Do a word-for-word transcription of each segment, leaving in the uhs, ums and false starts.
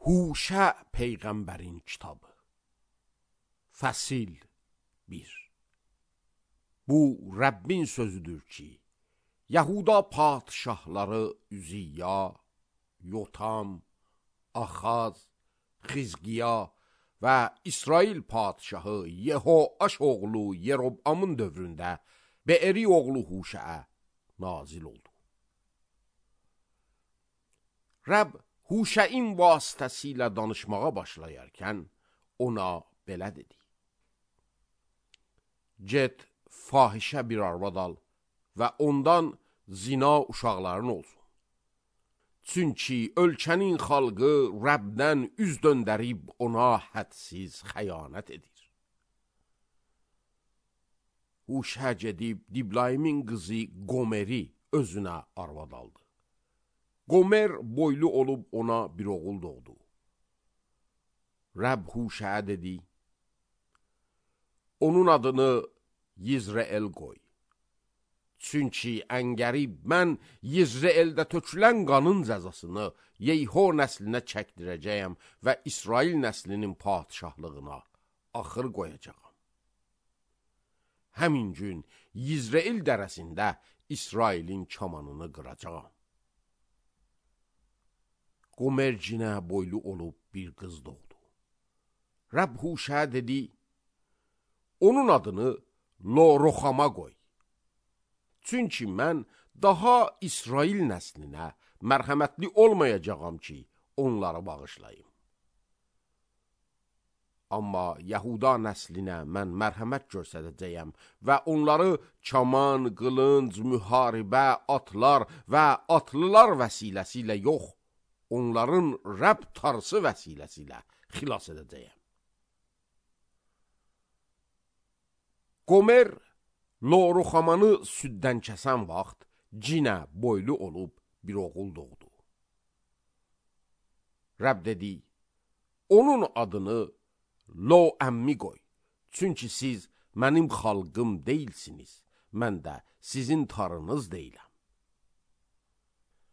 Huşə Peyğəmbərin kitabı. Fəsil bir. Bu Rəbbin sözüdür ki, Yahuda padişahları Üziyya, Yotam, Axaz, Xizqiya və İsrail padişahı Yehoaş oğlu Yerobamın dövründə Beeri oğlu Huşəə nazil oldu. Rəbb Huşəin vasitəsilə danışmağa başlayarkən ona belə dedi. Get, fahişə bir arvad al və ondan zina uşaqların olsun. Çünki ölkənin xalqı Rəbdən üz döndərib ona hədsiz xəyanət edir. Huşə gedib Diblaymin qızı Gomeri özünə arvad aldı. Gomer boylu olub ona bir oğul doğdu. Rəbb Huşəyə dedi, onun adını Yizreel qoy. Çünki əngərib mən Yizreeldə tökülən qanın cəzasını Yeyho nəslinə çəkdirəcəyəm və İsrail nəslinin padişahlığına axır qoyacağam. Həmin gün Yizreel dərəsində İsrailin kamanını qıracağam. Qomercinə boylu olub bir qız doğdu. Rəbb Huşəyə dedi, onun adını Lo-Roxama qoy. Çünki mən daha İsrail nəslinə mərhəmətli olmayacağam ki, onları bağışlayım. Amma Yahuda nəslinə mən mərhəmət göstərəcəyəm və onları kaman, qılınc, müharibə, atlar və atlılar vəsiləsi yox, onların Rəbb tarsı vəsiləsi xilas edəcəyəm. Qomer, Lo-Roxamanı süddən kəsən vaxt cinə boylu olub bir oğul doğdu. Rəbb dedi, onun adını Lo-Əmmi qoy. Çünki siz mənim xalqım deyilsiniz, mən də sizin tarınız deyiləm.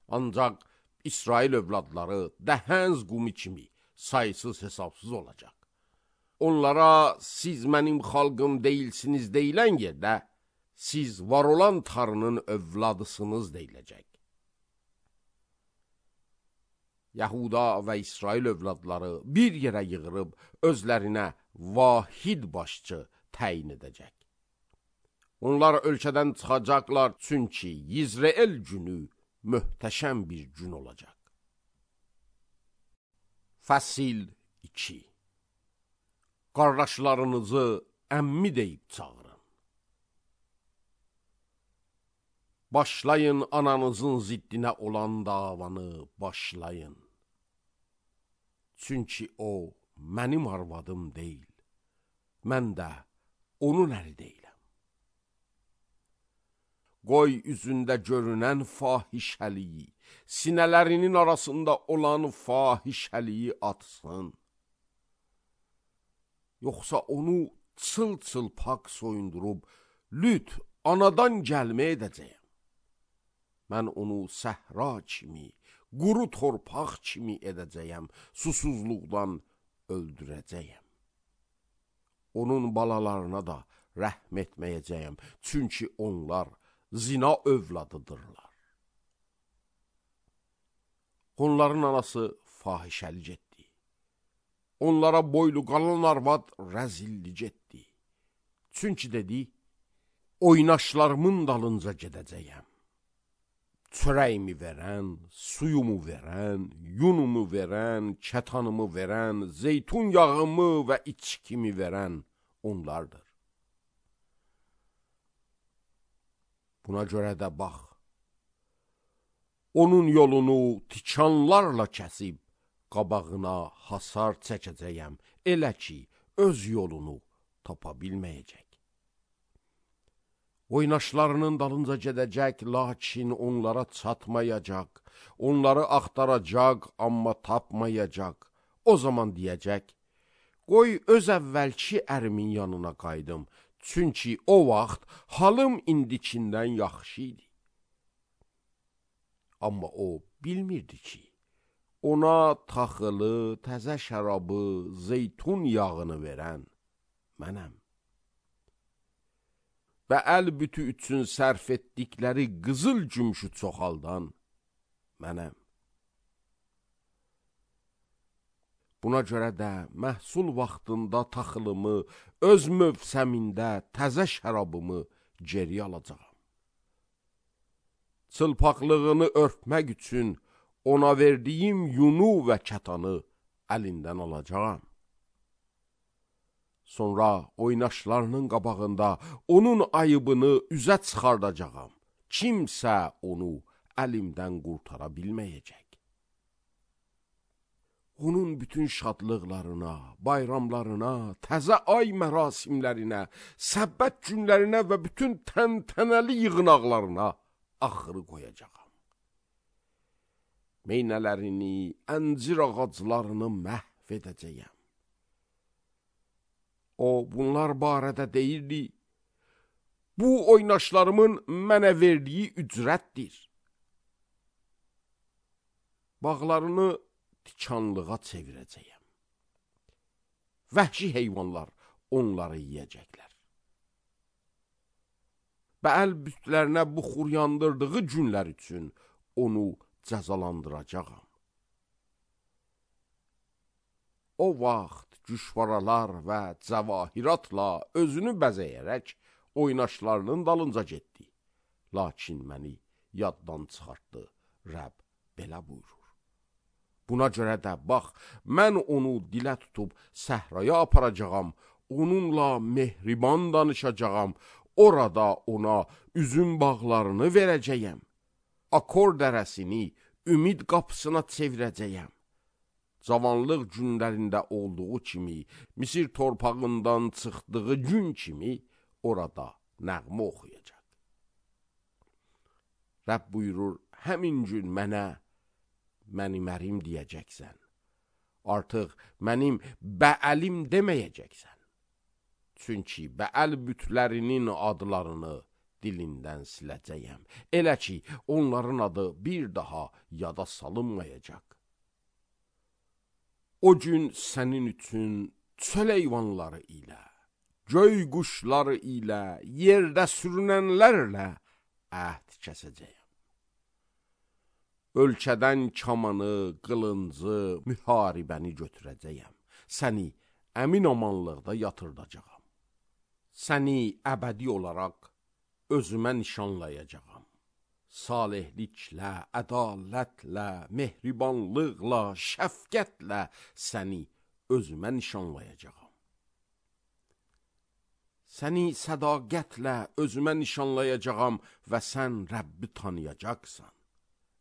Ancaq İsrail övladları dəhənz qumi kimi sayısız hesabsız olacaq. Onlara siz mənim xalqım deyilsiniz deyilən yerdə, siz var olan tarının övladısınız deyiləcək. Yahuda və İsrail övladları bir yerə yığırıb özlərinə vahid başçı təyin edəcək. Onlar ölkədən çıxacaqlar, çünki Yizreel günü möhtəşəm bir gün olacaq. Fəsil iki. Qardaşlarınızı əmmi deyib çağırın. Başlayın ananızın ziddinə olan davanı başlayın. Çünki o mənim arvadım deyil, mən də onun əri deyiləm. Qoy üzündə görünən fahişəliyi, sinələrinin arasında olan fahişəliyi atsın. Yoxsa onu çıl-çıl pak soyundurub, lüt anadan gəlmə edəcəyəm. Mən onu səhra kimi, quru torpaq kimi edəcəyəm, susuzluqdan öldürəcəyəm. Onun balalarına da rəhm etməyəcəyəm, çünki onlar zina övladıdırlar. Onların anası fahişəlik etdi. Onlara boylu qalan arvad rəzillik etdi. Çünki dedi, oynaşlarımın dalınca gedəcəyəm. Çörəyimi verən, suyumu verən, yunumu verən, kətanımı verən, zeytun yağımı və içkimi verən onlardır. Buna görə də bax, onun yolunu tikanlarla kəsib, qabağına hasar çəkəcəyəm, elə ki, öz yolunu tapa bilməyəcək. Oynaşlarının dalınca gedəcək, lakin onlara çatmayacaq, onları axtaracaq, amma tapmayacaq. O zaman deyəcək, qoy öz əvvəlki ərimin yanına qaydım, çünki o vaxt halım indikindən yaxşı idi. Amma o bilmirdi ki, ona taxılı, təzə şərabı, zeytun yağını verən mənəm. Və əl bütü üçün sərf etdikləri qızıl gümüşü çoxaldan mənəm. Buna görə də məhsul vaxtında taxılımı, öz mövsəmində təzə şərabımı geri alacağam. Çılpaqlığını örtmək üçün ona verdiyim yunu və kətanı əlindən alacağam. Sonra oynaşlarının qabağında onun ayıbını üzə çıxardacağam. Kimsə onu əlimdən qurtara bilməyəcək. Onun bütün şadlıqlarına, bayramlarına, təzə ay mərasimlərinə, səbbət günlərinə və bütün təntənəli yığınaqlarına axırı qoyacağam. Meynələrini, əncir ağaclarını məhv edəcəyəm. O, bunlar barədə deyirdi, bu oynaşlarımın mənə verdiyi ücrətdir. Bağlarını tikanlığa çevirəcəyəm. Vəhşi heyvanlar onları yiyəcəklər. Bəəl bütlərinə buxur yandırdığı günlər üçün onu cəzalandıracağam. O vaxt güşvaralar və cəvahiratla özünü bəzəyərək oynaşlarının dalınca getdi. Lakin məni yaddan çıxartdı. Rəbb belə buyurur. Buna görə də bax, mən onu dilə tutub səhraya aparacağam, onunla mehriban danışacağam, orada ona üzüm bağlarını verəcəyəm. Akor dərəsini ümid qapısına çevirəcəyəm. Cavanlıq günlərində olduğu kimi, Misir torpağından çıxdığı gün kimi orada nəğmə oxuyacaq. Rəbb buyurur, həmin gün mənə mənim ərim deyəcəksən. Artıq mənim bəəlim deməyəcəksən. Çünki bəəl bütlərinin adlarını dilindən siləcəyəm. Elə ki, onların adı bir daha yada salınmayacaq. O gün sənin üçün çöl heyvanları ilə, göy quşları ilə, yerdə sürünənlərlə əhd kəsəcəyəm. Ölkədən kamanı, qılıncı, müharibəni götürəcəyəm. Səni əmin amanlıqda yatırdacağam. Səni əbədi olaraq özümə nişanlayacağam. Salihliklə, ədalətlə, mehribanlıqla, şəfqətlə səni özümə nişanlayacağam. Səni sədaqətlə özümə nişanlayacağam və sən Rəbbi tanıyacaqsan.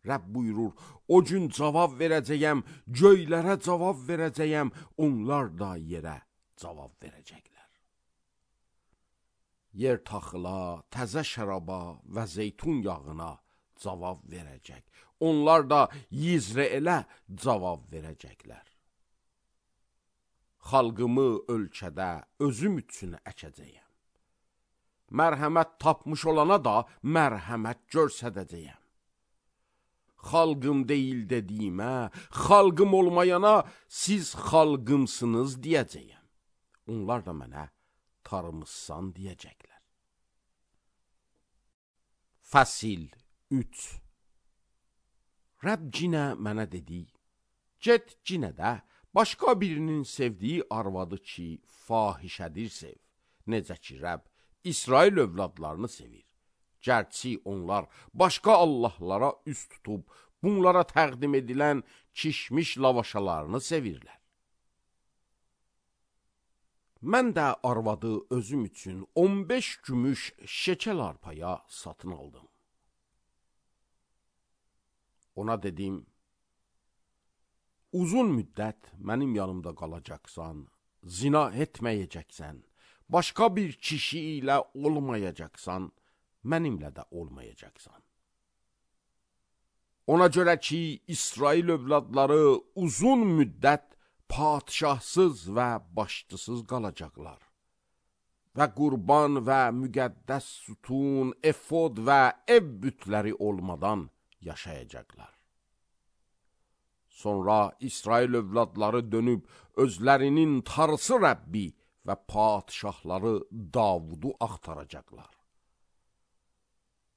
Rəbb buyurur, o gün cavab verəcəyəm, göylərə cavab verəcəyəm, onlar da yerə cavab verəcəklər. Yer taxıla, təzə şəraba və zeytun yağına cavab verəcək. Onlar da Yizreelə cavab verəcəklər. Xalqımı ölkədə özüm üçün əkəcəyəm. Mərhəmət tapmış olana da mərhəmət görsədəcəyəm. Xalqım deyil dediyimə, xalqım olmayana siz xalqımsınız deyəcəyəm. Onlar da mənə tarımızsan deyəcəklər. Fəsil üç. Rəbb cinə mənə dedi, get cinə də başqa birinin sevdiyi arvadı ki, fahişədir sev. Necə ki, Rəbb İsrail övladlarını sevir. Gərçi onlar başqa Allahlara üst tutub, bunlara təqdim edilən kişmiş lavaşalarını sevirlər. Mən də arvadı özüm üçün on beş gümüş şekel arpaya satın aldım. Ona dedim, uzun müddət mənim yanımda qalacaqsan, zina etməyəcəksən, başqa bir kişi ilə olmayacaqsan, mənimlə də olmayacaqsan. Ona görə ki, İsrail övladları uzun müddət padişahsız və başçısız qalacaqlar və qurban və müqəddəs sütun, efod və ev bütləri olmadan yaşayacaqlar. Sonra İsrail övladları dönüb özlərinin tarısı Rəbbi və padişahları Davudu axtaracaqlar.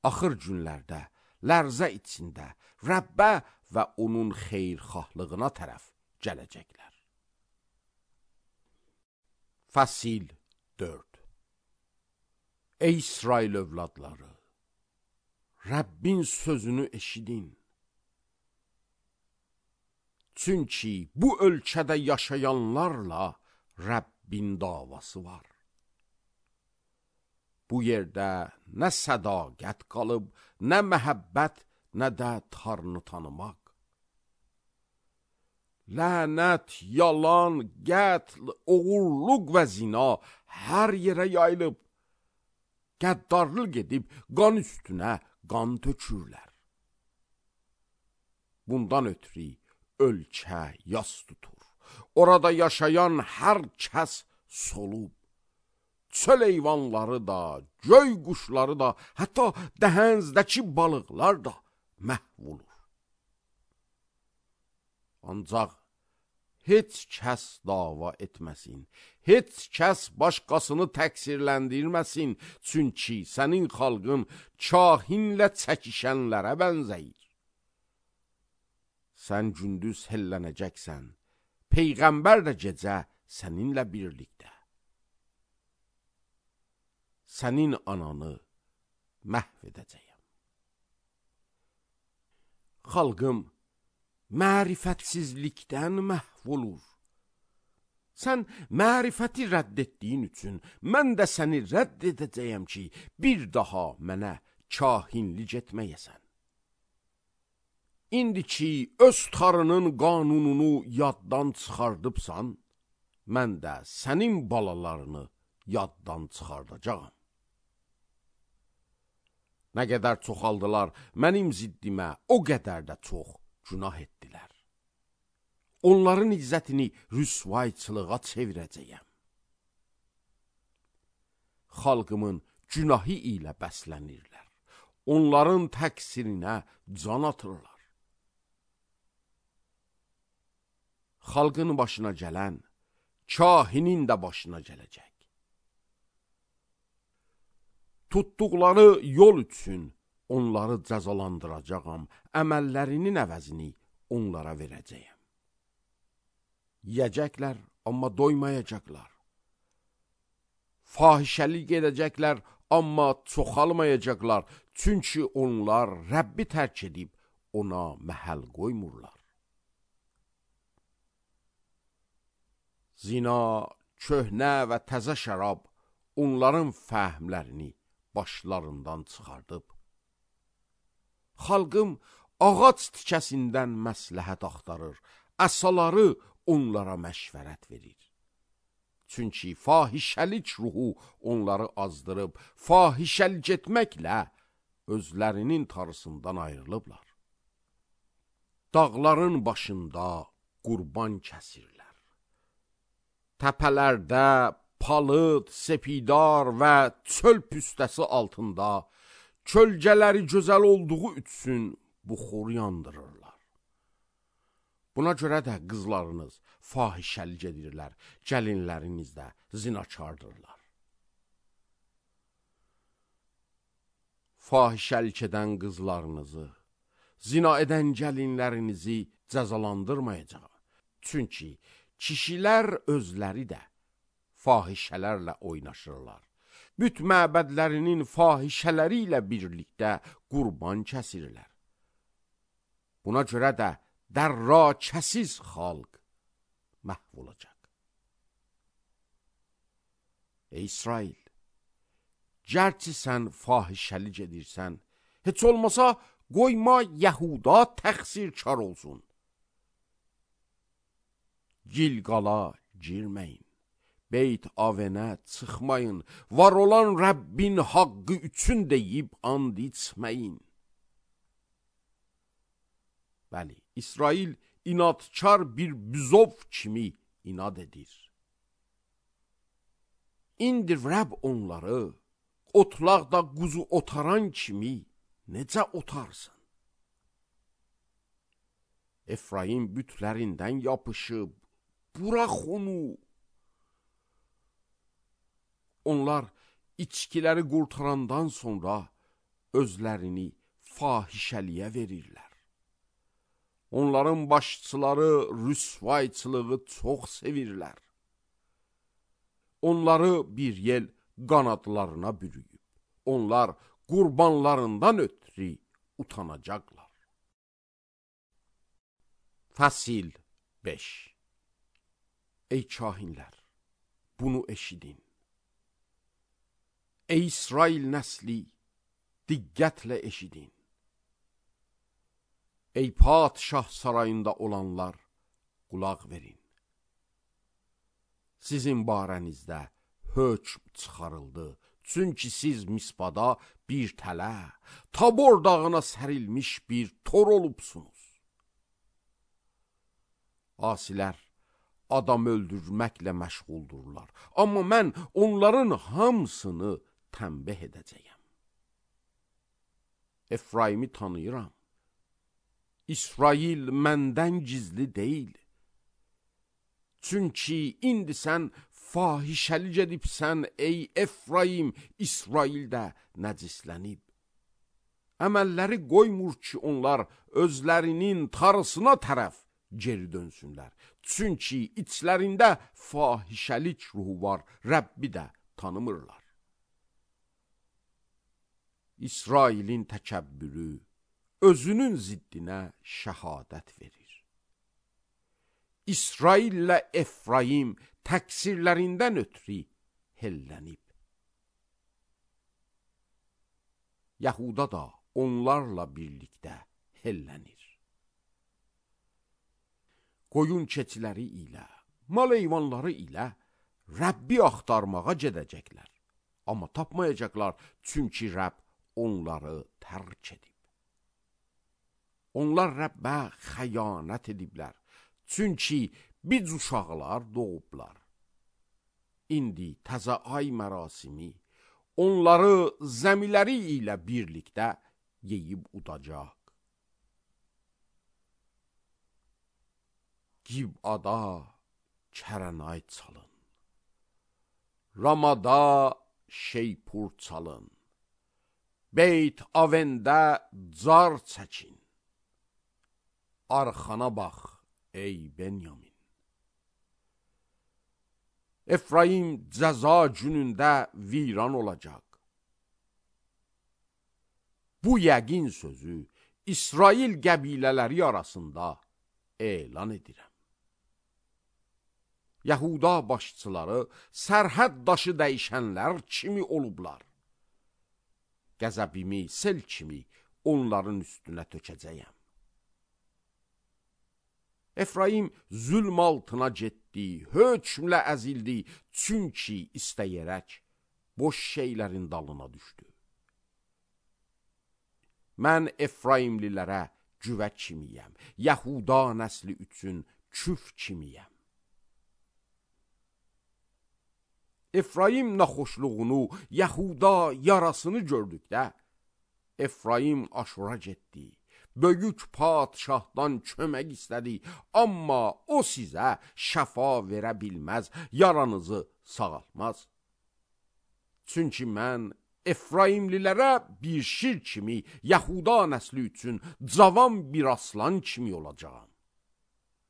Axır günlərdə, lərzə içində Rəbbə və onun xeyrxahlığına tərəf gələcəklər. Fəsil dörd. Ey İsrail övladları, Rəbbin sözünü eşidin. Çünki bu ölkədə yaşayanlarla Rəbbin davası var. Bu yerdə nə sədaqət qalıb, nə məhəbbət, nə də Tanrını tanımaq. Lənət, yalan, qətl, oğurluq və zina hər yerə yayılıb. Qəddarlıq edib qan üstünə qan tökürlər. Bundan ötürü ölkə yas tutur. Orada yaşayan hər kəs solub. Çöl heyvanları da, göy quşları da, hətta dəhənizdəki balıqlar da məhv olur. Ancaq heç kəs dava etməsin, heç kəs başqasını təqsirləndirməsin, çünki sənin xalqın kahinlə çəkişənlərə bənzəyir. Sən gündüz hellənəcəksən, Peyğəmbər də gecə səninlə birlikdə. Sənin ananı məhv edəcəyəm. Xalqım mərifətsizlikdən məhv olur. Sən mərifəti rədd etdiyin üçün mən də səni rədd edəcəyəm ki, bir daha mənə kahinlik etməyəsən. İndi ki, öz tarının qanununu yaddan çıxardıbsan, mən də sənin balalarını yaddan çıxardacağam. Nə qədər çoxaldılar mənim ziddimə, o qədər də çox günah etdilər. Onların izzətini rüsvayçılığa çevirəcəyəm. Xalqımın günahı ilə bəslənirlər. Onların təqsirinə can atırlar. Xalqın başına gələn, kahinin də başına gələcək. Tutduqları yol üçün onları cəzalandıracağam, əməllərinin əvəzini onlara verəcəyəm. Yiyəcəklər, amma doymayacaqlar. Fahişəlik edəcəklər, amma çoxalmayacaqlar, çünki onlar Rəbbi tərk edib ona məhəl qoymurlar. Zina, köhnə və təzə şərab onların fəhmlərini başlarından çıxardıb. Xalqım ağac tikəsindən məsləhət axtarır, əsaları onlara məşvərət verir. Çünki fahişəlik ruhu onları azdırıb, fahişəlik etməklə özlərinin tarısından ayrılıblar. Dağların başında qurban kəsirlər. Təpələrdə palıd, sepidar və çöl püstəsi altında kölgələri gözəl olduğu üçün buxur yandırırlar. Buna görə də qızlarınız fahişəlik edirlər, gəlinləriniz də zinakardırlar. Fahişəlik edən qızlarınızı, zina edən gəlinlərinizi cəzalandırmayacaq. Çünki kişilər özləri də fahişələrlə oynaşırlar. Büt məbədlərinin fahişələri ilə birlikdə qurban kəsirlər. Buna görə də dərrakəsiz xalq məhv olacaq. Ey İsrail, gərçi sən fahişəlik edirsən, heç olmasa qoyma Yəhuda təqsirkar olsun. Gilqala girməyin, Beyt Avenə çıxmayın, var olan Rəbbin haqqı üçün deyib and içməyin. Bəli, İsrail inadkar bir büzov kimi inad edir. İndi Rəbb onları otlaqda quzu otaran kimi necə otarsın? Efraim bütlərindən yapışıb, burax onu. Onlar içkiləri qurtarandan sonra özlərini fahişəliyə verirlər. Onların başçıları rüsvayçılığı çox sevirlər. Onları bir yel qanadlarına bürüyüb, onlar qurbanlarından ötürü utanacaqlar. Fəsil beş. Ey kahinlər, bunu eşidin. Ey İsrail nəsli, diqqətlə eşidin. Ey padişah sarayında olanlar, qulaq verin. Sizin barənizdə hökm çıxarıldı, çünki siz Mispada bir tələ, Tabor dağına sərilmiş bir tor olubsunuz. Asilər adam öldürməklə məşğuldurlar, amma mən onların hamısını tənbih edəcəyəm. Efraimi tanıyıram. İsrail məndən gizli deyil. Çünki indi sən fahişəli gedibsən, ey Efraim, İsrail də nəcislənib. Əməlləri qoymur ki, onlar özlərinin tarısına tərəf geri dönsünlər. Çünki içlərində fahişəlik ruhu var, Rəbbi də tanımırlar. İsrailin təkəbbürü özünün ziddinə şəhadət verir. İsraillə Efraim təqsirlərindən ötürü hellənib. Yahuda da onlarla birlikdə hellənir. Qoyun keçiləri ilə, mal heyvanları ilə Rəbbi axtarmağa gedəcəklər. Amma tapmayacaqlar, çünki Rəbb onları tərk edib. Onlar Rəbbə xəyanət ediblər, çünki biz uşaqlar doğublar. İndi təzə ay mərasimi onları zəmiləri ilə birlikdə yeyib udacaq. Gibada kərənay çalın, Ramada şeypur çalın, Beyt Avəndə car çəkin. Arxana bax, ey Benyamin. Efraim cəza günündə viran olacaq. Bu yəqin sözü İsrail qəbilələri arasında elan edirəm. Yahuda başçıları sərhəd daşı dəyişənlər kimi olublar. Qəzəbimi sel kimi onların üstünə tökəcəyəm. Efraim zülm altına getdi, hökmlə əzildi, çünki istəyərək boş şeylərin dalına düşdü. Mən Efraimlilərə cüvə kimiyəm, Yahuda nəsli üçün küf kimiyəm. Efraim naxoşluğunu, Yahuda yarasını gördükdə, Efraim Aşura getdi. Böyük padişahdan kömək istədi, amma o sizə şəfa verə bilməz, yaranızı sağaltmaz. Çünki mən Efraimlilərə bir şir kimi, Yahuda nəsli üçün cavan bir aslan kimi olacağam.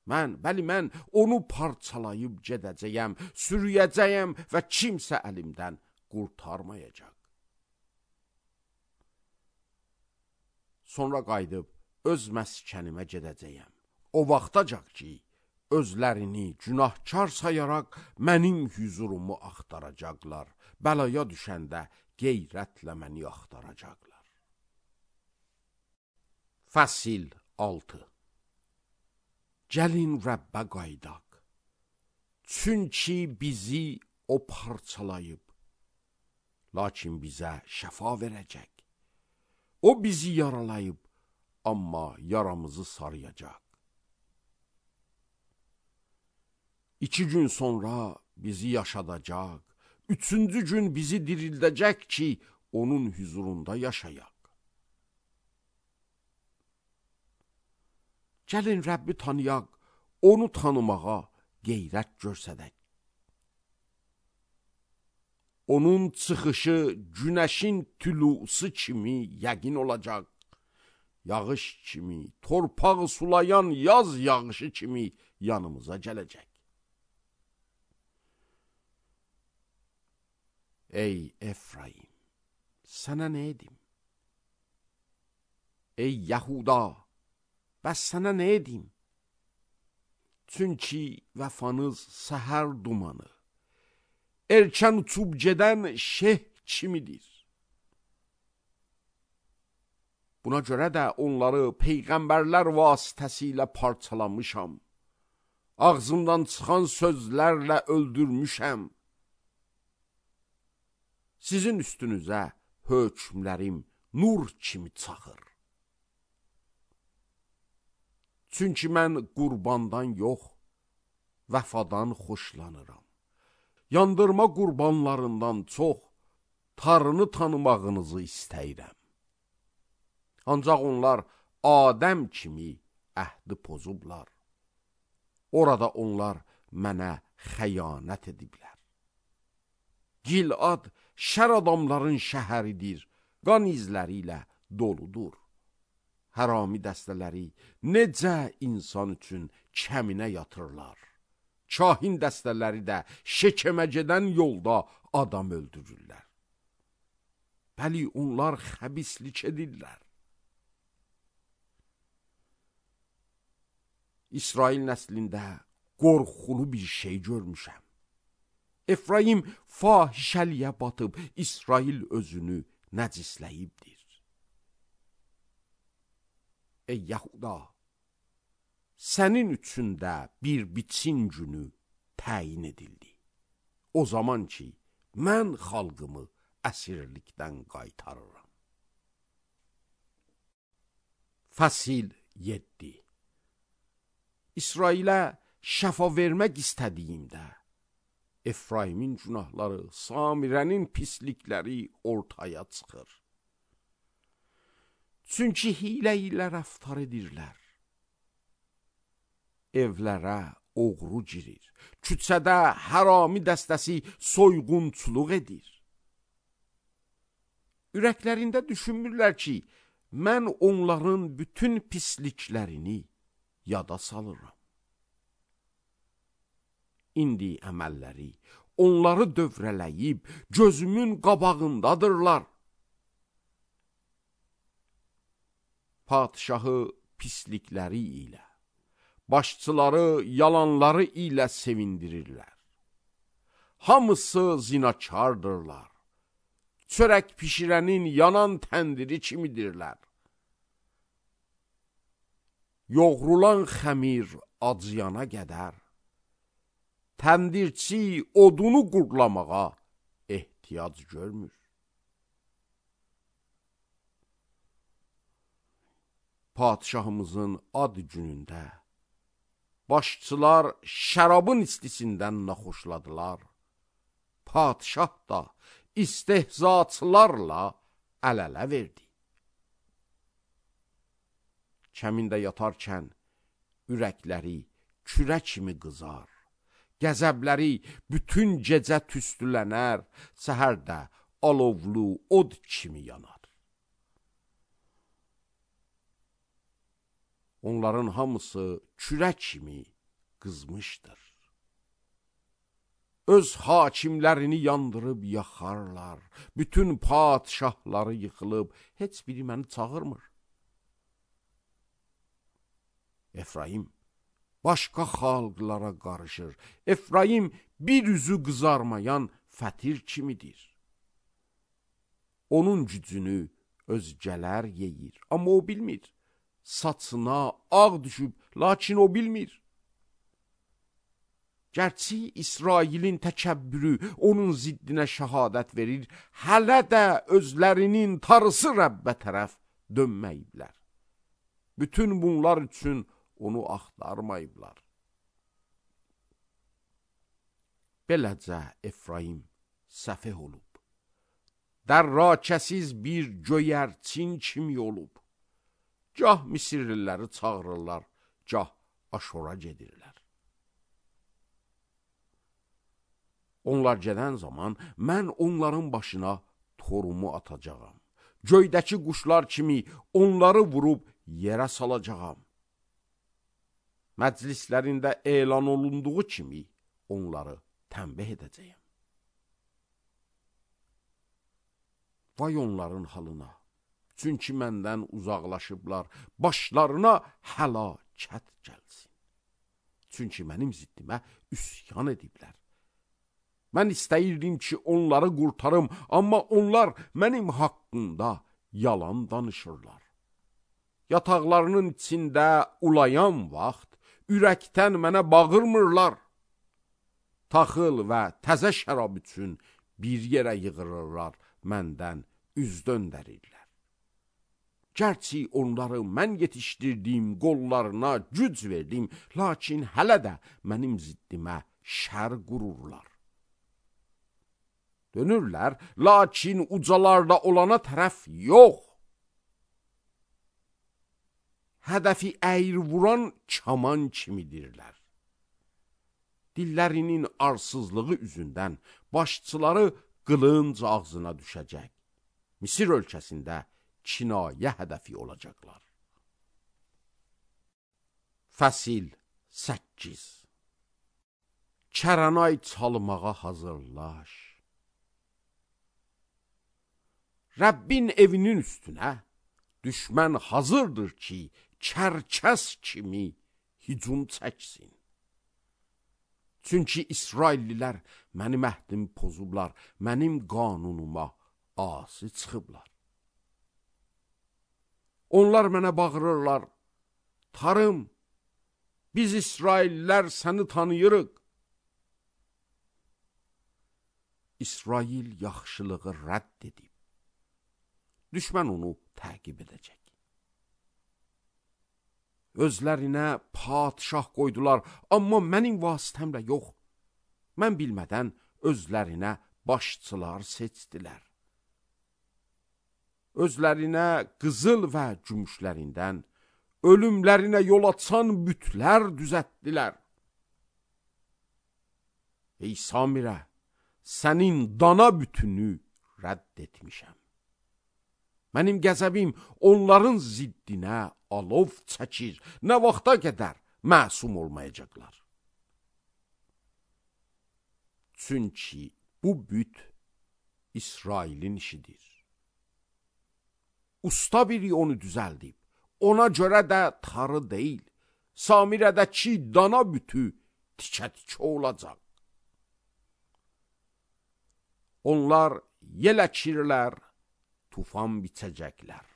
Mən, bəli mən onu parçalayıb gedəcəyəm, sürüyəcəyəm və kimsə əlimdən qurtarmayacaq. Sonra qayıdıb öz məskənimə gedəcəyəm. O vaxtacaq ki, özlərini günahkar sayaraq mənim hüzurumu axtaracaqlar. Bəlaya düşəndə qeyrətlə məni axtaracaqlar. Fəsil altı. Gəlin Rəbbə qaydaq. Çünki bizi o parçalayıb, lakin bizə şəfa verəcək. O bizi yaralayıb, amma yaramızı sarıyacaq. İki gün sonra bizi yaşadacaq, üçüncü gün bizi dirildəcək ki, onun huzurunda yaşayaq. Gəlin Rəbbi tanıyaq, onu tanımağa qeyrət görsədək. Onun çıxışı günəşin tülusu kimi yəqin olacaq. Yağış kimi, torpağı sulayan yaz yağışı kimi yanımıza gələcək. Ey Efraim, sənə nə edim? Ey Yahuda, bəs sənə nə edim? Çünki vəfanız səhər dumanı, erkən uçub gedən şeh kimidir. Buna görə də onları peyğəmbərlər vasitəsilə parçalamışam. Ağzımdan çıxan sözlərlə öldürmüşəm. Sizin üstünüzə hökmlərim nur kimi çaxır. Çünki mən qurbandan yox, vəfadan xoşlanıram. Yandırma qurbanlarından çox Tanrını tanımağınızı istəyirəm. Ancaq onlar Adəm kimi əhdi pozublar. Orada onlar mənə xəyanət ediblər. Gilad şər adamların şəhəridir, qan izləri ilə doludur. Hərami dəstələri necə insan üçün kəminə yatırlar. Kahin dəstələri də şəkəmə gedən yolda adam öldürürlər. Bəli, onlar xəbislik edirlər. İsrail nəslində qorxulu bir şey görmüşəm. Efraim fahişəliyə batıb, İsrail özünü nəcisləyibdir. Ey Yahuda, sənin üçün də bir biçin günü təyin edildi. O zaman ki, mən xalqımı əsirlikdən qaytarıram. Fəsil yeddi. İsrailə şəfa vermək istədiyimdə, Efraimin günahları, Samirənin pislikləri ortaya çıxır. Çünki hilə ilə rəftar edirlər. Evlərə oğru girir. Küçədə hərami dəstəsi soyğunçuluq edir. Ürəklərində düşünmürlər ki, mən onların bütün pisliklərini yada salıram. İndi əməlləri onları dövrələyib gözümün qabağındadırlar. Padişahı pislikləri ilə, başçıları yalanları ilə sevindirirlər. Hamısı zinakardırlar. Çörək pişirənin yanan təndiri kimidirlər. Yoğrulan xəmir acıyana qədər, təndirçi odunu qurlamağa ehtiyac görmür. Padişahımızın ad günündə başçılar şərabın istisindən naxoşladılar. Padişah da istehzaçılarla əl-ələ verdi. Kəmində yatarkən ürəkləri kürə kimi qızar, qəzəbləri bütün gecə tüstülənər, səhərdə alovlu od kimi yanar. Onların hamısı kürə kimi qızmışdır. Öz hakimlərini yandırıb yaxarlar, bütün padişahları yıxılıb, heç biri məni çağırmır. Efraim başqa xalqlara qarışır. Efraim bir üzü qızarmayan fətir kimidir. Onun gücünü özgələr yeyir, amma o bilmir. Saçına ağ düşüb, lakin o bilmir. Gərçi İsrailin təkəbbürü onun ziddinə şəhadət verir, hələ də özlərinin tarısı Rəbbə tərəf dönməyiblər. Bütün bunlar üçün onu axtarmayıblar. Beləcə Efraim səfeh olub. Dərrakəsiz bir göyərçin kimi olub. Gah Misirliləri çağırırlar, gah Aşora gedirlər. Onlar gedən zaman mən onların başına torumu atacağam. Göydəki quşlar kimi onları vurub yerə salacağam. Məclislərində elan olunduğu kimi onları tənbih edəcəyəm. Vay onların halına, çünki məndən uzaqlaşıblar, başlarına həlakət gəlsin. Çünki mənim ziddimə üsyan ediblər. Mən istəyirdim ki, onları qurtarım, amma onlar mənim haqqımda yalan danışırlar. Yataqlarının içində ulayan vaxt, ürəkdən mənə bağırmırlar. Taxıl və təzə şərab üçün bir yerə yığırırlar, məndən üz döndərirlər. Gərçi onları mən yetişdirdiyim qollarına güc verdim, lakin hələ də mənim ziddimə şər qururlar. Dönürlər, lakin ucalarda olana tərəf yox. Hədəfi əyri vuran kaman kimidirlər. Dillərinin arsızlığı üzündən başçıları qılınc ağzına düşəcək. Misir ölkəsində kinayə hədəfi olacaqlar. Fəsil səkkiz. Kəranay çalmağa hazırlaş. Rəbbin evinin üstünə düşmən hazırdır ki, kərkəs kimi hücum çəksin. Çünki İsraillilər mənim əhdimi pozublar, mənim qanunuma asi çıxıblar. Onlar mənə bağırırlar, tarım, biz İsraillilər səni tanıyırıq. İsrail yaxşılığı rədd edib. Düşmən onu təqib edəcək. Özlərinə padişah qoydular, amma mənim vasitəmlə yox. Mən bilmədən özlərinə başçılar seçdilər. Özlərinə qızıl və gümüşlərindən, ölümlərinə yol açan bütlər düzətdilər. Ey Samirə, sənin dana bütünü rədd etmişəm. Mənim qəzəbim onların ziddinə alov çəkir, nə vaxta qədər məsum olmayacaqlar. Çünki bu büt İsrailin işidir. Usta biri onu düzəldib, ona görə də tarı deyil, Samirədəki dana bütü tikə-tikə olacaq. Onlar yel əkirlər, tufan biçəcəklər.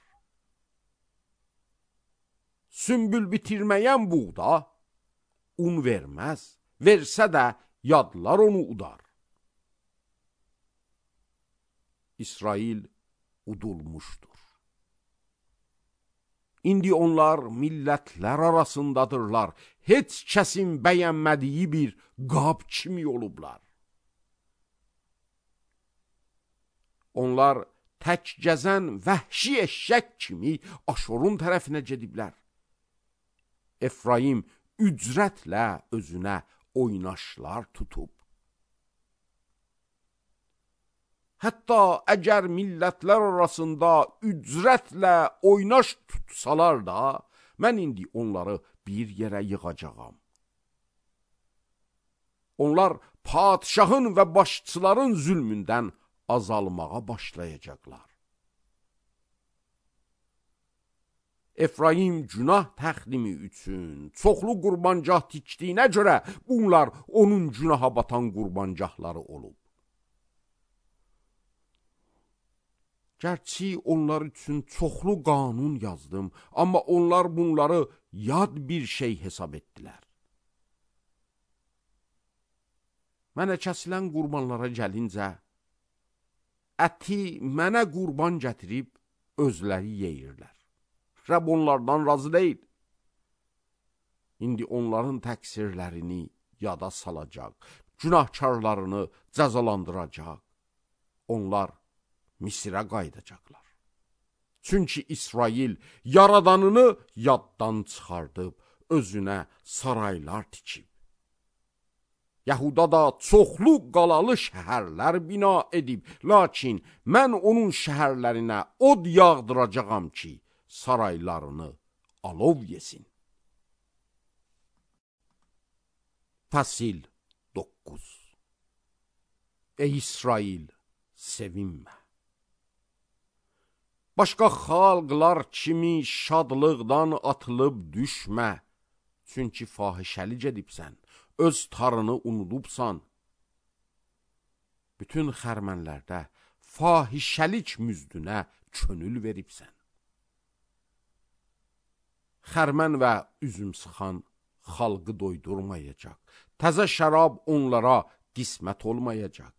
Sümbül bitirməyən buğda un verməz, versə də yadlar onu udar. İsrail udulmuşdur. İndi onlar millətlər arasındadırlar, heç kəsin bəyənmədiyi bir qab kimi olublar. Onlar tək gəzən vəhşi eşşək kimi Aşorun tərəfinə gediblər. Efraim ücrətlə özünə oynaşlar tutub. Hətta əgər millətlər arasında ücrətlə oynaş tutsalar da, mən indi onları bir yerə yığacağam. Onlar padişahın və başçıların zülmündən azalmağa başlayacaqlar. Efraim günah təxlimi üçün çoxlu qurbancah tikdiyinə görə bunlar onun günaha batan qurbancahları olub. Gərçi onlar üçün çoxlu qanun yazdım, amma onlar bunları yad bir şey hesab etdilər. Mənə kəsilən qurbanlara gəlincə, əti mənə qurban gətirib özləri yeyirlər. Rəbb onlardan razı deyil. İndi onların təqsirlərini yada salacaq, günahkarlarını cəzalandıracaq. Onlar Misirə qaydacaqlar. Çünki İsrail yaradanını yaddan çıxardıb, özünə saraylar tikib. Yahuda da çoxlu qalalı şəhərlər bina edib, lakin mən onun şəhərlərinə od yağdıracağam ki, saraylarını alov yesin. Fəsil doqquz. Ey İsrail, sevinmə. Başqa xalqlar kimi şadlıqdan atılıb düşmə. Çünki fahişəli gedibsən, öz tarını unudubsan. Bütün xərmənlərdə fahişəlik müzdünə könül veribsən. Xərmən və üzüm sıxan xalqı doydurmayacaq. Təzə şərab onlara qismət olmayacaq.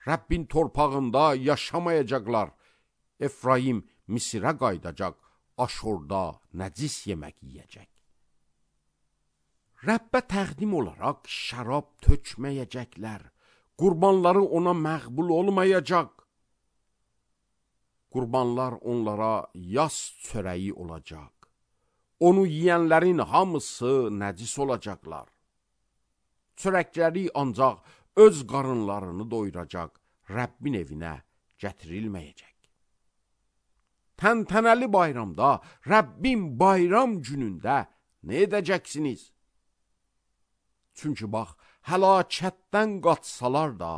Rəbbin torpağında yaşamayacaqlar. Efraim Misirə qaydacaq, Aşurda nəcis yemək yiyəcək. Rəbbə təqdim olaraq şərab tökməyəcəklər. Qurbanları ona məqbul olmayacaq. Qurbanlar onlara yas çörəyi olacaq. Onu yiyənlərin hamısı nəcis olacaqlar. Çörəkləri ancaq öz qarınlarını doyuracaq, Rəbbin evinə gətirilməyəcək. Təntənəli bayramda, Rəbbin bayram günündə nə edəcəksiniz? Çünki bax, həlakətdən qaçsalar da,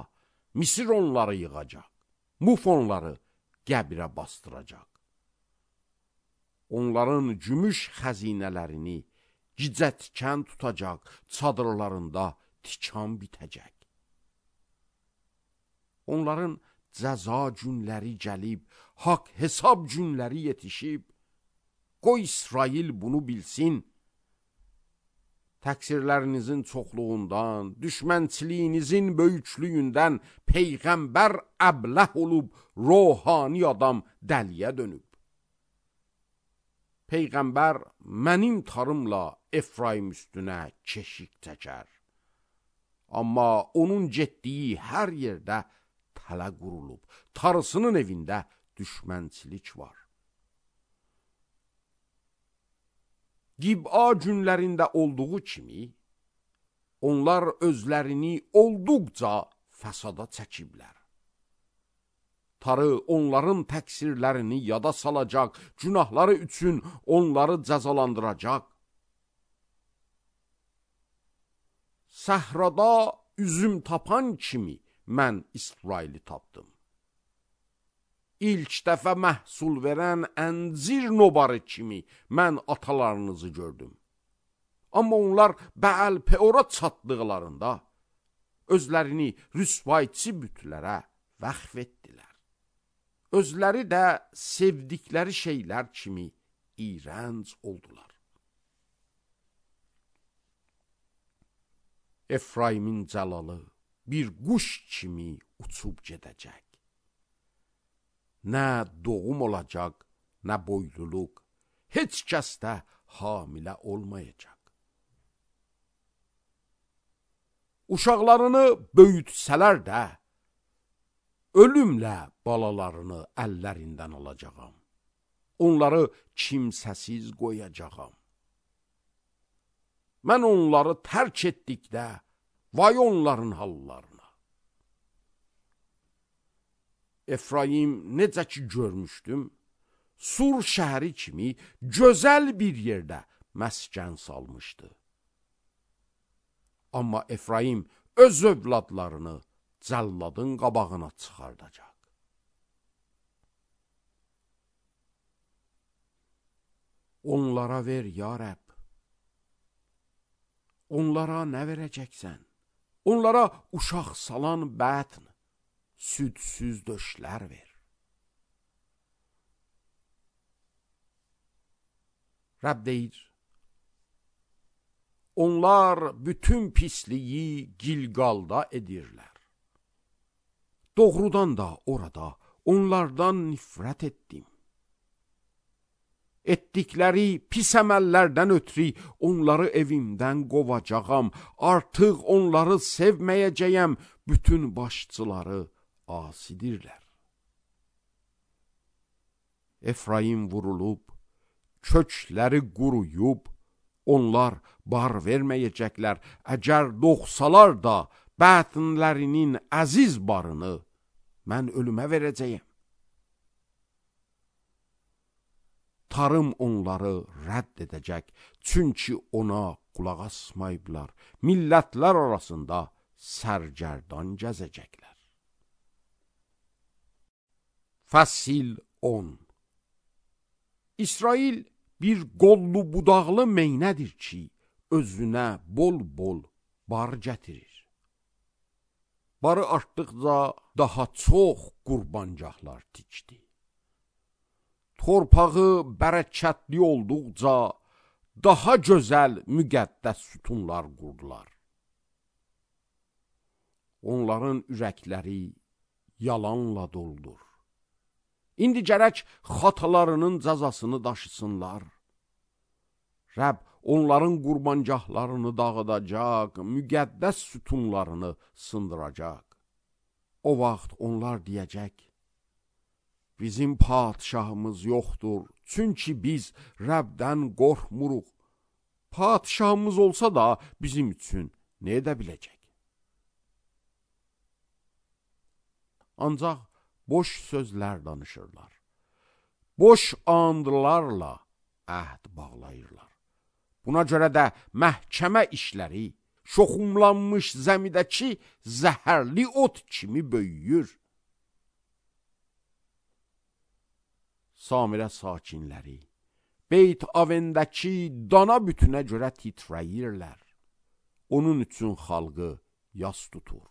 Misir onları yığacaq, Muf onları qəbirə bastıracaq. Onların gümüş xəzinələrini gicə tikən tutacaq, çadırlarında tikan bitəcək. Onların cəza günləri gəlib, haqq hesab günləri yetişib. Qoy İsrail bunu bilsin. Təqsirlərinizin çoxluğundan, düşmənçiliyinizin böyüklüyündən Peyğəmbər əbləh olub, ruhani adam dəliyə dönüb. Peyğəmbər mənim tarımla Efraim üstünə keşik çəkər. Amma onun getdiyi hər yerdə tələ qurulub, tarısının evində düşmənçilik var. Gib'a günlərində olduğu kimi, onlar özlərini olduqca fəsada çəkiblər. Tarı onların təqsirlərini yada salacaq, günahları üçün onları cəzalandıracaq. Səhrada üzüm tapan kimi mən İsraili tapdım. İlk dəfə məhsul verən əncir nobarı kimi mən atalarınızı gördüm. Amma onlar Bəəl-Peora çatdıqlarında özlərini rüsvayçı bütlərə vəqf etdilər. Özləri də sevdikləri şeylər kimi iyrənc oldular. Efraimin cəlalı bir quş kimi uçub gedəcək. Nə doğum olacaq, nə boyluluq, heç kəs də hamilə olmayacaq. Uşaqlarını böyütsələr də, ölümlə balalarını əllərindən alacağam. Onları kimsəsiz qoyacağam. Mən onları tərk etdikdə, vay onların hallarına. Efraim necə ki görmüşdüm, Sur şəhəri kimi gözəl bir yerdə məskən salmışdı. Amma Efraim öz övladlarını cəlladın qabağına çıxardacaq. Onlara ver, ya Rəbb. Onlara nə verəcəksən? Onlara uşaq salan bətn, südsüz döşlər ver. Rəbb deyir, onlar bütün pisliyi Gilgalda edirlər. Doğrudan da orada onlardan nifrət etdim. Etdikləri pis əməllərdən ötürü onları evimdən qovacağam. Artıq onları sevməyəcəyəm. Bütün başçıları asidirlər. Efraim vurulub, kökləri quruyub, Onlar bar verməyəcəklər, əgər doğsalar da bətinlərinin əziz barını mən ölümə verəcəyəm. Tarım onları rədd edəcək, çünki ona qulaq asmayıblar, millətlər arasında sərgərdan gəzəcəklər. Fəsil on. İsrail bir qollu budaqlı meynədir ki, özünə bol-bol bar gətirir. Barı artdıqca daha çox qurbancaqlar tikdi. Torpağı bərəkətli olduqca daha gözəl müqəddəs sütunlar qurdular. Onların ürəkləri yalanla doldur. İndi gərək xatalarının cəzasını daşısınlar. Rəbb onların qurbancaqlarını dağıdacaq, müqəddəs sütunlarını sındıracaq. O vaxt onlar deyəcək, bizim padişahımız yoxdur, çünki biz Rəbdən qorxmuruq. Padişahımız olsa da bizim üçün nə edə biləcək? Ancaq boş sözlər danışırlar. Boş andlarla əhd bağlayırlar. Buna görə də məhkəmə işləri şoxumlanmış zəmidəki zəhərli ot kimi böyüyür. Samirə sakinləri Beyt Avendəki dana bütünə görə titrəyirlər. Onun üçün xalqı yas tutur.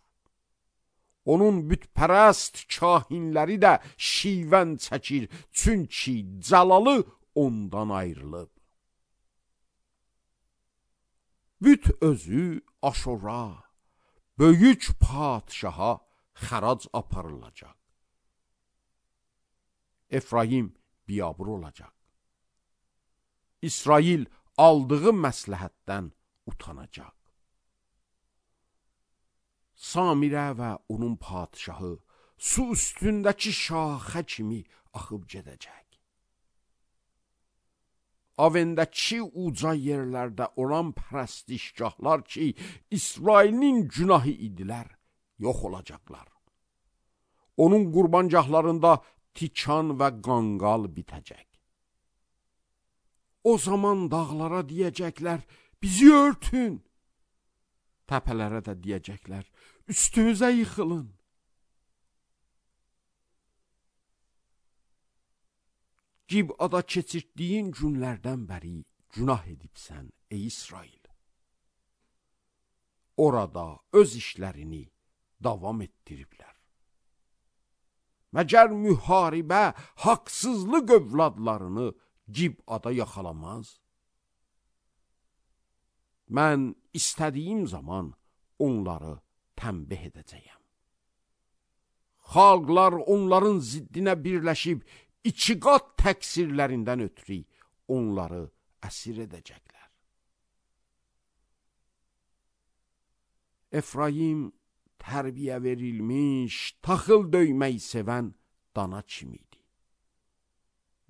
Onun bütpərəst kahinləri də şivən çəkir, çünki cəlalı ondan ayrılıb. Büt özü Aşura, böyük padişaha xərac aparılacaq. Efraim biyabır olacaq. İsrail aldığı məsləhətdən utanacaq. Samirə və onun padişahı su üstündəki şaxə kimi axıb gedəcək. Avendəki uca yerlərdə olan pərəstişgahlar ki, İsrailin günahı idilər, yox olacaqlar. Onun qurbancaqlarında tikan və qanqal bitəcək. O zaman dağlara deyəcəklər, bizi örtün. Təpələrə də deyəcəklər, üstümüzə yıxılın. Gibada keçirtdiyin günlərdən bəri günah edibsən, ey İsrail. Orada öz işlərini davam etdiriblər. Məgər müharibə haqsızlıq övladlarını Gibada yaxalamaz? Mən istədiyim zaman onları tənbih edəcəyəm. Xalqlar onların ziddinə birləşib, iki qat təqsirlərindən ötürü onları əsir edəcəklər. Efraim tərbiyə verilmiş, taxıl döymək sevən dana kimidir.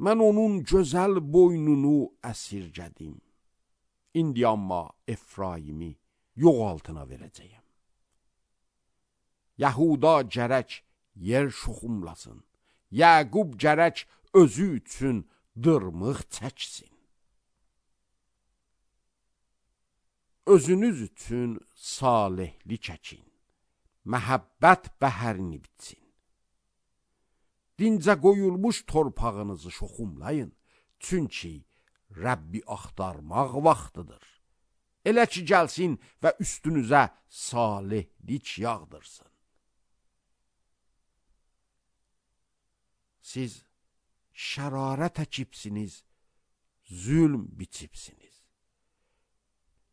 Mən onun gözəl boynunu əsirgədim. İndi amma Efraimi yox altına verəcəyəm. Yahuda gərək yer şoxumlasın. Yaqub gərək özü üçün dırmıq çəksin. Özünüz üçün salihlik çəkin. Məhəbbət bəhərini bitsin. Dincə qoyulmuş torpağınızı şoxumlayın. Çünki Rəbbi axtarmaq vaxtıdır. Elə ki gəlsin və üstünüzə salihlik yağdırsın. Siz şərarət əkibsiniz, zülm biçibsiniz.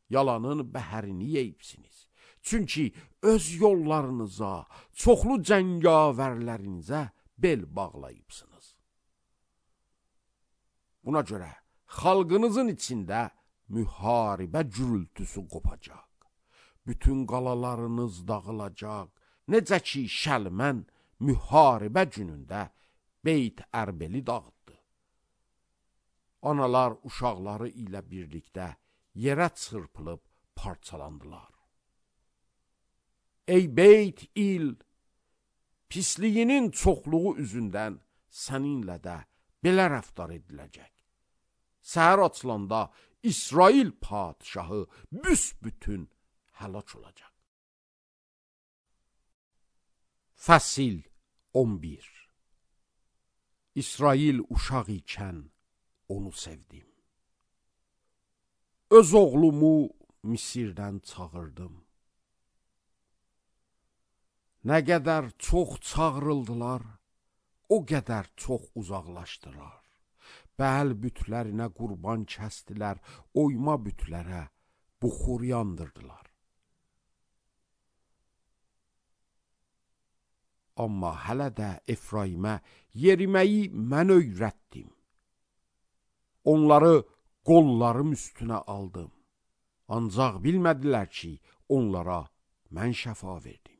Yalanın bəhərini yeyibsiniz. Çünki öz yollarınıza, çoxlu cəngavərlərinizə bel bağlayıbsınız. Buna görə xalqınızın içində müharibə gürültüsü qopacaq. Bütün qalalarınız dağılacaq. Necə ki Şəlmən müharibə günündə Beyt Ərbeli dağıtdı. Analar uşaqları ilə birlikdə yerə çırpılıb parçalandılar. Ey Beyt İl, pisliyinin çoxluğu üzündən səninlə də belə rəftar ediləcək. Səhər açılanda İsrail padişahı büsbütün həlak olacaq. Fəsil on bir. İsrail uşaq ikən onu sevdim. Öz oğlumu Misirdən çağırdım. Nə qədər çox çağırıldılar, o qədər çox uzaqlaşdılar. Bəl bütlərinə qurban kəstilər, oyma bütlərə buxur yandırdılar. Amma hələ də Efraimə yeriməyi mən öyrətdim. Onları qollarım üstünə aldım. Ancaq bilmədilər ki, onlara mən şəfa verdim.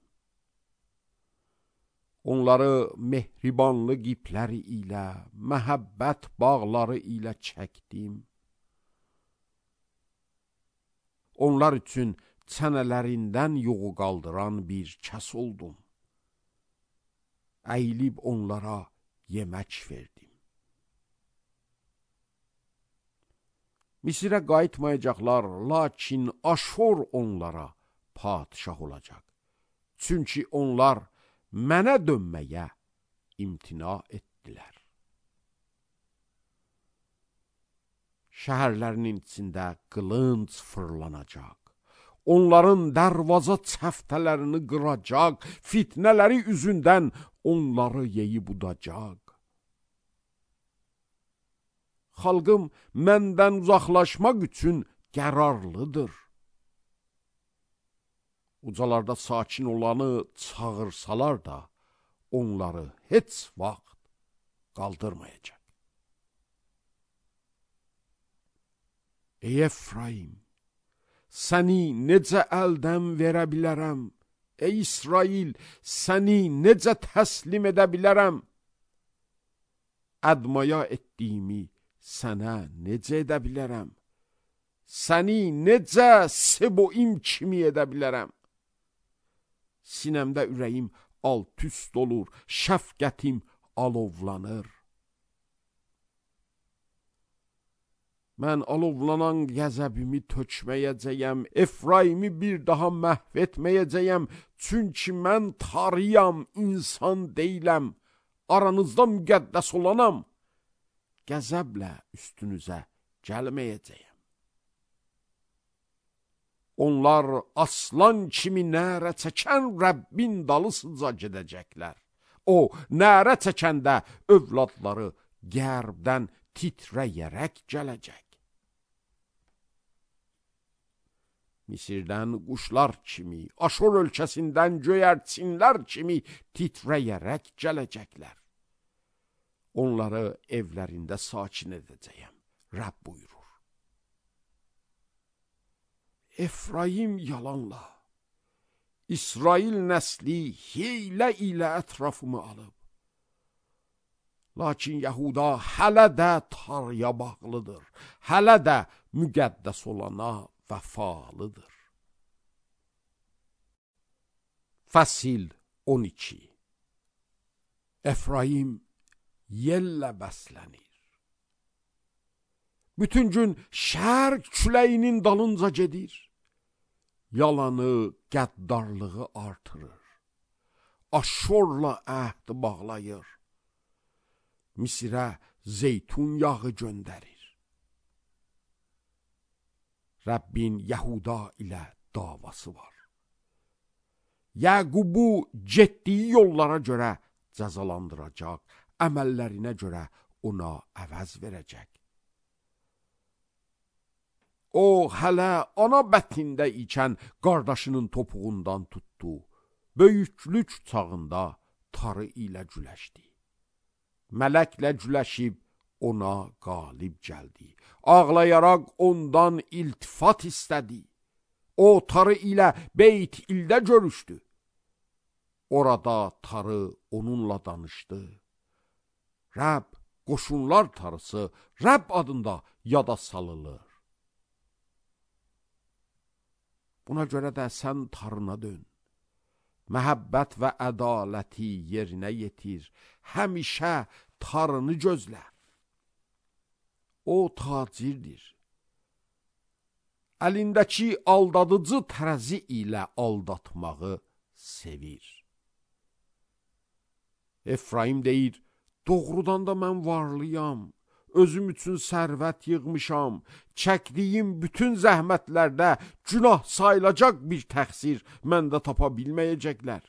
Onları mehribanlı qipləri ilə, məhəbbət bağları ilə çəkdim. Onlar üçün çənələrindən yuğu qaldıran bir kəs oldum. Əyilib onlara yemək verdim. Misirə qayıtmayacaqlar, lakin Aşur onlara padişah olacaq. Çünki onlar mənə dönməyə imtina etdilər. Şəhərlərinin içində qılınc fırlanacaq. Onların dərvaza çəftələrini qıracaq, fitnələri üzündən onları yeyib udacaq. Xalqım məndən uzaqlaşmaq üçün qərarlıdır. Ucalarda sakin olanı çağırsalar da, onları heç vaxt qaldırmayacaq. Ey Efraim, səni necə əldən verə bilərəm? Ey İsrail, səni necə təslim edə bilərəm? Ədmaya etdiyimi sənə necə edə bilərəm? Səni necə Seboim kimi edə bilərəm? Sinəmdə ürəyim alt-üst olur, şəfqətim alovlanır. Mən alovlanan qəzəbimi tökməyəcəyəm, Efraimi bir daha məhv etməyəcəyəm, çünki mən tarıyam, insan deyiləm, aranızda müqəddəs olanam, qəzəblə üstünüzə gəlməyəcəyəm. Onlar aslan kimi nərə çəkən Rəbbin dalısıca gedəcəklər. O, nərə çəkəndə övladları qərbdən titrəyərək gələcək. Misirdən quşlar kimi, Aşur ölkəsindən göyərçinlər kimi titrəyərək gələcəklər. Onları evlərində sakin edəcəyəm, Rəbb buyurur. Efraim yalanla, İsrail nəsli hiylə ilə ətrafımı alıb. Lakin Yahuda hələ də tarıya bağlıdır, hələ də müqəddəs olana vəfalıdır. Fəsil on iki. Efraim yellə bəslənir. Bütün gün şərq küləyinin dalınca gedir. Yalanı, qəddarlığı artırır. Aşurla əhd bağlayır. Misirə zeytun yağı göndərir. Rəbbin Yahuda ilə davası var. Yəqubu getdiyi yollara görə cəzalandıracaq, əməllərinə görə ona əvəz verəcək. O, hələ ana bətində ikən qardaşının topuğundan tutdu, böyüklük çağında tarı ilə güləşdi. Mələklə güləşib ona qalib gəldi. Ağlayaraq ondan iltifat istədi. O, tarı ilə Beyt İldə görüşdü. Orada tarı onunla danışdı. Rəbb, qoşunlar tarısı Rəbb adında yada salınır. Buna görə də sən tarına dön. Məhəbbət və ədaləti yerinə yetir. Həmişə tarını gözlə. O tacirdir. Əlindəki aldadıcı tərəzi ilə aldatmağı sevir. Efraim deyir, doğrudan da mən varlıyam, özüm üçün sərvət yığmışam, çəkdiyim bütün zəhmətlərdə günah sayılacaq bir təqsir məndə tapa bilməyəcəklər.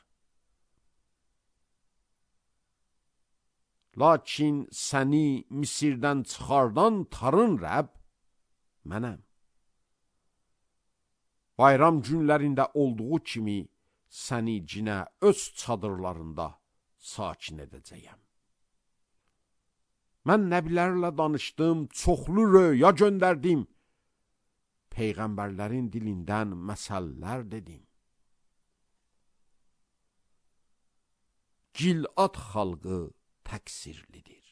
Lakin səni Misirdən çıxardan tarın Rəbb mənəm. Bayram günlərində olduğu kimi səni cinə öz çadırlarında sakin edəcəyəm. Mən nəbilərlə danışdım, çoxlu röya göndərdim. Peyğəmbərlərin dilindən məsəllər dedim. Gilad xalqı təqsirlidir.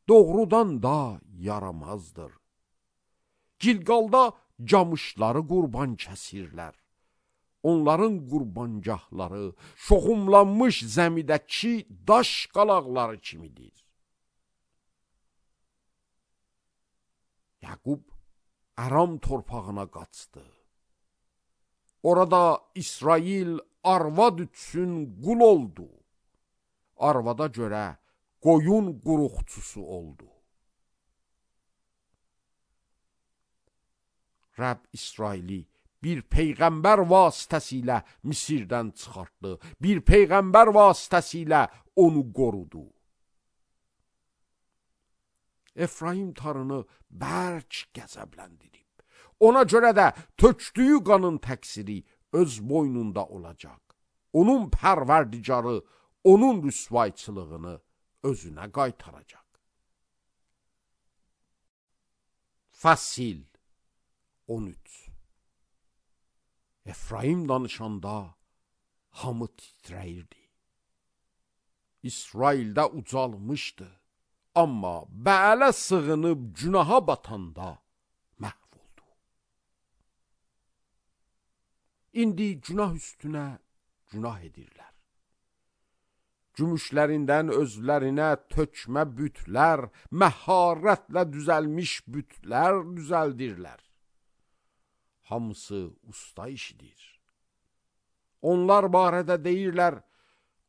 Doğrudan da yaramazdır. Gilqalda camışları qurban kəsirlər. Onların qurbancahları şoxumlanmış zəmidəki daş qalaqları kimidir. Yaqub Əram torpağına qaçdı. Orada İsrail arvad üçün qul oldu. Arvada görə qoyun quruqçusu oldu. Rəbb İsraili bir peyğəmbər vasitəsilə Misirdən çıxartdı. Bir peyğəmbər vasitəsilə onu qorudu. Efraim tarını bərk qəzəbləndirib. Ona görə də tökdüyü qanın təqsiri öz boynunda olacaq. Onun pərverdigarı onun rüsvayçılığını özünə qaytaracaq. Fəsil on üç. Efraim danışanda hamı titrəyirdi. İsraildə ucalmışdı. Amma Bəələ sığınıb günaha batanda məhv oldu. İndi günah üstünə günah edirlər. Gümüşlərindən özlərinə tökmə bütlər, məharətlə düzəlmiş bütlər düzəldirlər. Hamısı usta işidir. Onlar barədə deyirlər,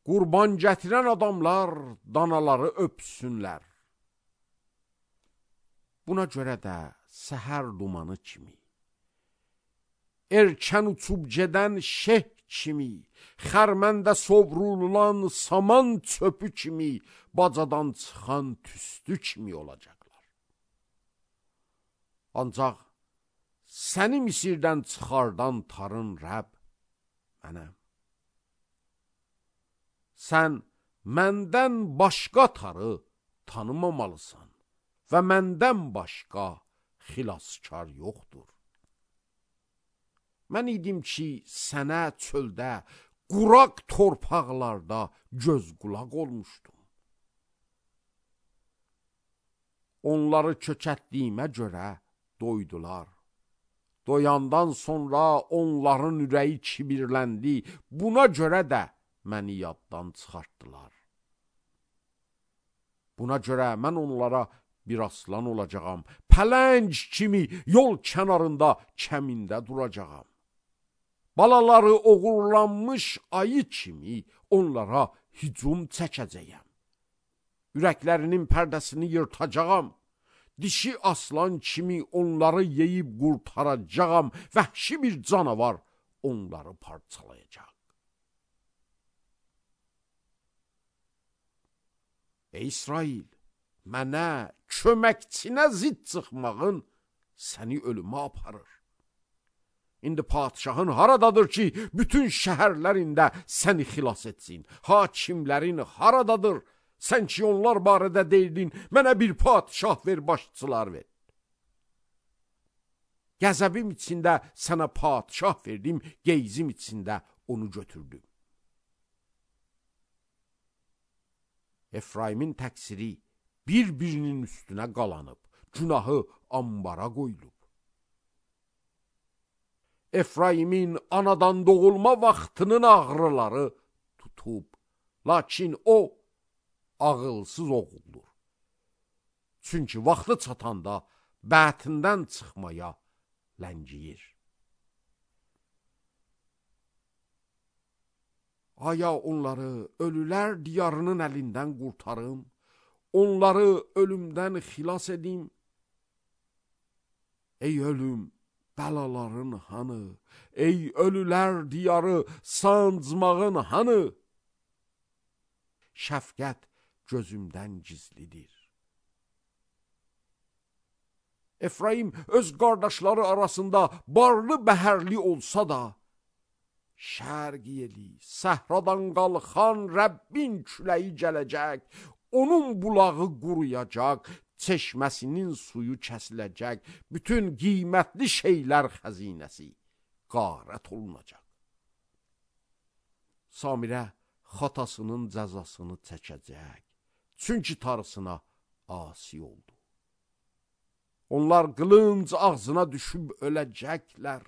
qurban gətirən adamlar danaları öpsünlər. Buna görə də səhər dumanı kimi, erkən uçub gedən şeh kimi, xərməndə sovrulan saman çöpü kimi, bacadan çıxan tüstü kimi olacaqlar. Ancaq səni Misirdən çıxardan tarın Rəbb mənəm. Sən məndən başqa tarı tanımamalısan və məndən başqa xilaskar yoxdur. Mən idim ki, sənə çöldə, quraq torpaqlarda göz qulaq olmuşdum. Onları kökətdiyimə görə doydular. Doyandan sonra onların ürəyi kibirləndi. Buna görə də məni yaddan çıxartdılar. Buna görə mən onlara bir aslan olacağam. Pələng kimi yol kənarında kəmində duracağam. Balaları oğurlanmış ayı kimi onlara hücum çəkəcəyəm. Ürəklərinin pərdəsini yırtacağam. Dişi aslan kimi onları yeyib qurtaracağam. Vəhşi bir canavar onları parçalayacaq. Ey İsrail, mənə köməkçinə zid çıxmağın səni ölümə aparır. İndi padişahın haradadır ki, bütün şəhərlərində səni xilas etsin? Hakimlərin haradadır? Sən ki, onlar barədə deyildin, mənə bir padişah ver, başçılar ver. Qəzəbim içində sənə padişah verdim, qeyzim içində onu götürdüm. Efraimin təqsiri bir-birinin üstünə qalanıb, günahı ambara qoyulub. Efraimin anadan doğulma vaxtının ağrıları tutub, lakin o ağılsız oğuldur. Çünki vaxtı çatanda bətindən çıxmaya ləngiyir. Aya onları ölülər diyarının əlindən qurtarım, onları ölümdən xilas edim. Ey ölüm, bəlaların hanı? Ey ölülər diyarı, sancmağın hanı? Şəfqət gözümdən gizlidir. Efraim öz qardaşları arasında barlı bəhərli olsa da, şərq yeli, səhradan qalxan Rəbbin küləyi gələcək, onun bulağı quruyacaq, çeşməsinin suyu kəsiləcək, bütün qiymətli şeylər xəzinəsi qarət olunacaq. Samirə xatasının cəzasını çəkəcək, çünki tarısına asi oldu. Onlar qılınc ağzına düşüb öləcəklər.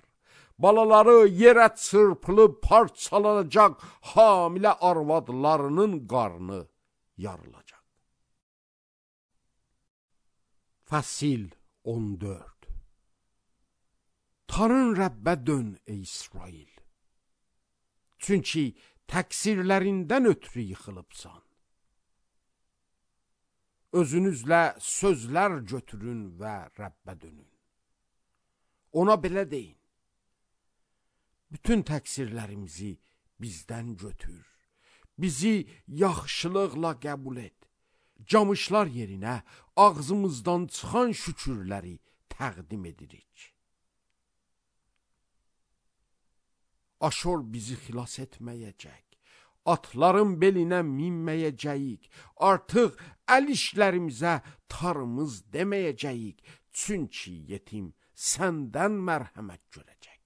Balaları yerə çırpılıb parçalanacaq, hamilə arvadlarının qarnı yarılacaq. Fəsil on dörd. Tanrın Rəbbə dön ey İsrail. Çünki təqsirlərindən ötürü yıxılıbsan. Özünüzlə sözlər götürün və Rəbbə dönün. Ona belə deyin. Bütün təqsirlərimizi bizdən götür. Bizi yaxşılıqla qəbul et. Camışlar yerinə ağzımızdan çıxan şükürləri təqdim edirik. Aşor bizi xilas etməyəcək. Atların belinə minməyəcəyik. Artıq əl işlərimizə tarımız deməyəcəyik. Çünki yetim səndən mərhəmət görəcək.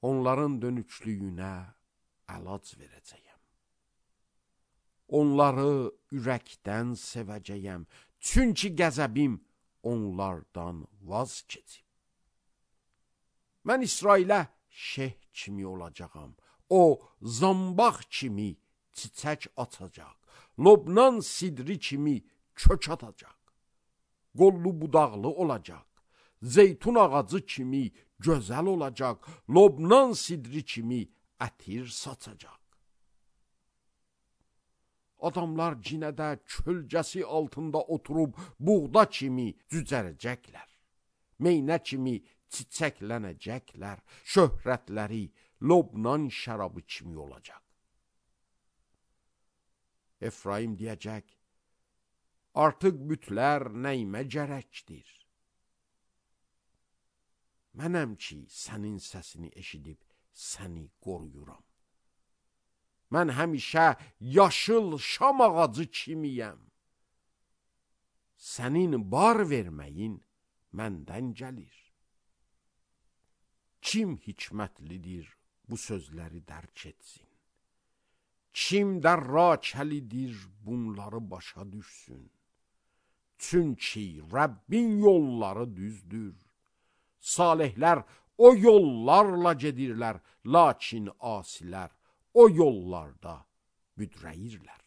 Onların dönüklüyünə əlac verəcəyəm. Onları ürəkdən sevəcəyəm. Çünki qəzəbim onlardan vaz keçib. Mən İsrailə şeh kimi olacağam. O, zambaq kimi çiçək açacaq. Lobnan sidri kimi kök atacaq. Qollu budaqlı olacaq. Zeytun ağacı kimi gözəl olacaq. Lobnan sidri kimi ətir saçacaq. Adamlar cinədə kölgəsi altında oturub buğda kimi cücərəcəklər. Meynə kimi çiçəklənəcəklər. Şöhrətləri Lobnan şərabı kimi olacaq. Efraim deyəcək, artıq bütlər nəyimə gərəkdir? Mənəm ki, sənin səsini eşidib səni qoruyuram. Mən həmişə yaşıl şam ağacı kimiyəm. Sənin bar verməyin məndən gəlir. Kim hikmətlidir bu sözləri dərk etsin? Kim dərrakəlidir bunları başa düşsün? Çünki Rəbbin yolları düzdür. Salihlər o yollarla gedirlər, lakin asilər o yollarda büdrəyirlər.